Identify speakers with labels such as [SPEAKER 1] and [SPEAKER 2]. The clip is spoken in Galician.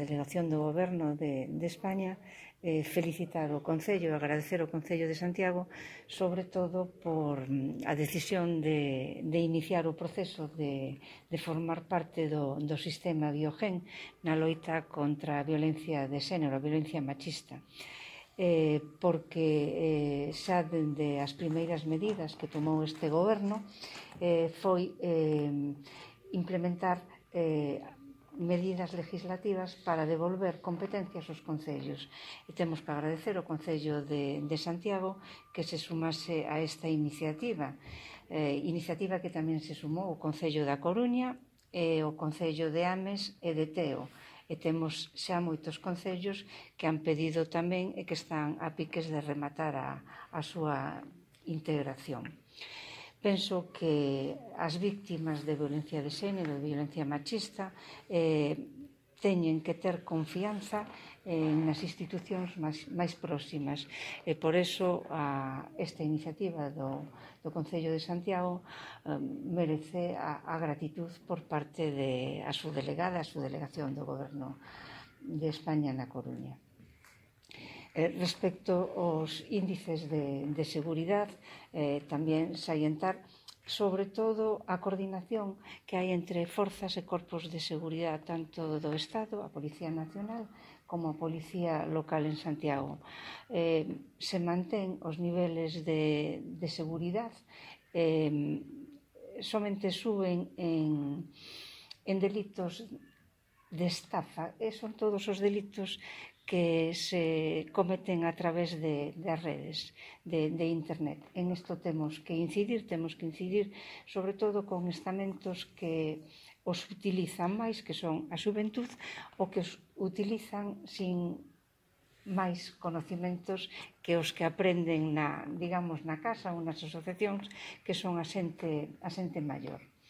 [SPEAKER 1] delegación do Goberno de España, felicitar o Concello e agradecer ao Concello de Santiago, sobre todo por a decisión de iniciar o proceso de formar parte do sistema Biogen na loita contra a violencia de xénero, a violencia machista. Porque xa dende as primeiras medidas que tomou este Goberno foi implementar medidas legislativas para devolver competencias aos concellos. E temos que agradecer ao Concello de Santiago que se sumase a esta iniciativa, iniciativa que tamén se sumou o Concello da Coruña e o Concello de Ames e de Teo. E temos xa moitos concellos que han pedido tamén e que están a piques de rematar a súa integración. Penso que as víctimas de violencia de xénero, de violencia machista, teñen que ter confianza nas institucións máis próximas. E por iso esta iniciativa do Concello de Santiago merece a gratitud por parte da súa delegada, a súa delegación do Goberno de España na Coruña. Respecto aos índices de seguridade, tamén salientar sobre todo a coordinación que hai entre forzas e corpos de seguridade tanto do Estado, a Policía Nacional, como a Policía Local en Santiago. Se mantén os niveles de seguridade, somente suben en delitos de estafa, e son todos os delitos que se cometen a través das redes de internet. En isto temos que incidir sobre todo con estamentos que os utilizan máis, que son a xuventud, ou que os utilizan sin máis conocimentos que os que aprenden na casa ou nas asociacións, que son a xente maior.